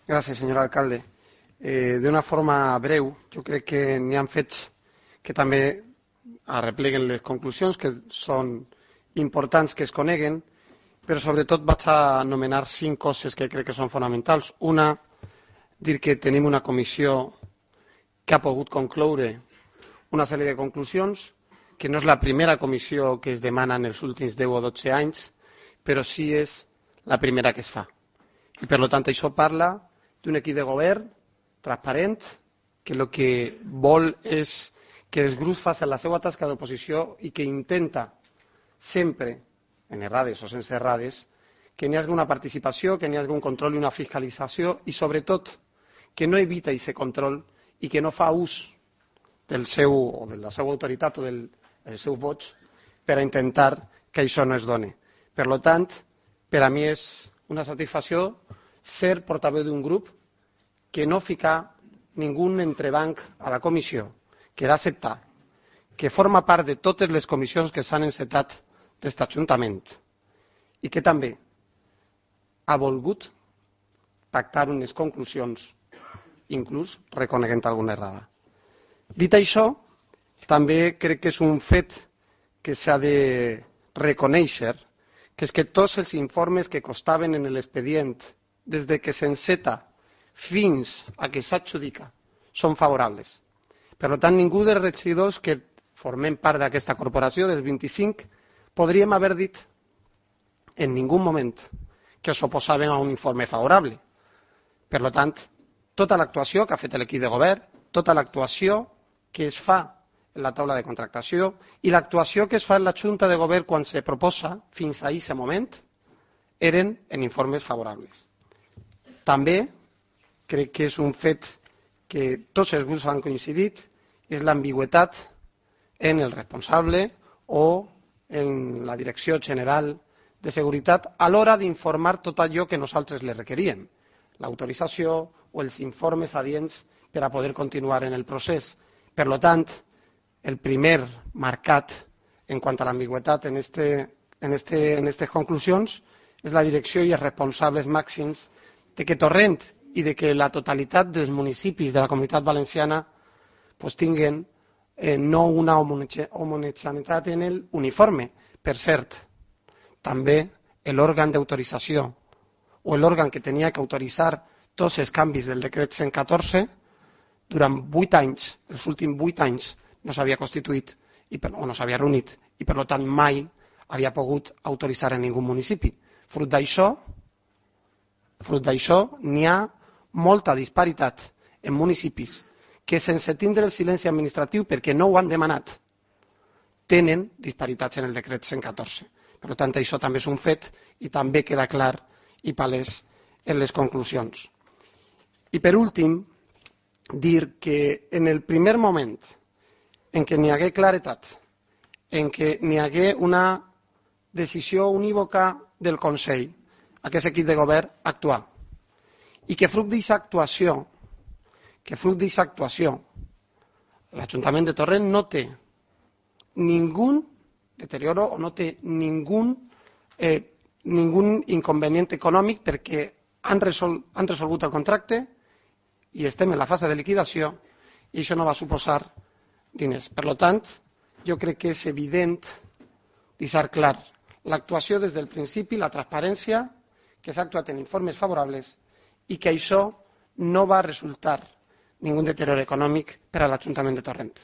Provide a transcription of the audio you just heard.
Gràcies, senyor alcalde. D'una forma breu, jo crec que n'hi ha fets que també arrepleguen les conclusions, que són importants que es coneguen, però sobretot vaig a anomenar 5 coses que crec que són fonamentals. Una, dir que tenim una comissió que ha pogut concloure una sèrie de conclusions, que no és la primera comissió que es demana en els últims 10 o 12 anys, però sí és la primera que es fa. I per tant això parla d'un equip de govern transparent, que el que vol és que els grups facin la seva tasca d'oposició i que intenta sempre, en errades o sense errades, que n'hi hagi una participació, que n'hi hagi un control i una fiscalització i sobretot que no evita aquest control i que no fa ús del seu, o de la seva autoritat o del seu vots per a intentar que això no es doni. Per tant, per a mi és una satisfacció ser portaveu d'un grup que no fica ningú entrebanc a la comissió, que l'ha acceptat, que forma part de totes les comissions que s'han encetat d'aquest Ajuntament i que també ha volgut pactar unes conclusions, inclús reconeguent alguna errada. Dit això, també crec que és un fet que s'ha de reconèixer, que és que tots els informes que constaven en l'expedient des de que s'enceta fins a que s'adjudica són favorables. Per tant, ningú dels regidors que formem part d'aquesta corporació, dels 25, podríem haver dit en ningú moment que s'oposaven a un informe favorable. Per tant, tota l'actuació que ha fet l'equip de govern, tota l'actuació que es fa en la taula de contractació i l'actuació que es fa en la Junta de Govern quan se proposa fins a aquest moment eren en informes favorables. També crec que és un fet que tots els grups han coincidit, és l'ambigüitat en el responsable o en la Direcció General de Seguretat a l'hora d'informar tot allò que nosaltres li requeríem, l'autorització o els informes adients per a poder continuar en el procés. Per tant, el primer marcat en quant a l'ambigüitat en aquestes conclusions és la direcció i els responsables màxims de que Torrent i de que la totalitat dels municipis de la Comunitat Valenciana tinguen no una homogeneïtat en l'uniforme. Per cert, també l'òrgan d'autorització o l'òrgan que tenia que autoritzar tots els canvis del decret 114 durant 8 anys, els últims 8 anys, no s'havia constituït o no s'havia reunit i per tant mai havia pogut autoritzar en ningú municipi. Fruit d'això n'hi ha molta disparitat en municipis que sense tindre el silenci administratiu perquè no ho han demanat tenen disparitats en el decret 114. Per tant, això també és un fet i també queda clar i palès en les conclusions. I per últim, dir que en el primer moment en què n'hi hagué claretat, en què n'hi hagué una decisió unívoca del Consell, aquest equip de govern actuar, i que fruit d'aquesta actuació, l'Ajuntament de Torrent no té ningú deterioro o no té ningú inconvenient econòmic perquè han resolgut el contracte i estem en la fase de liquidació i això no va suposar diners. Per tant, jo crec que és evident, deixar clar, l'actuació des del principi, la transparència, que s'ha actuat en informes favorables i que això no va resultar ningú deterior econòmic per a l'Ajuntament de Torrent.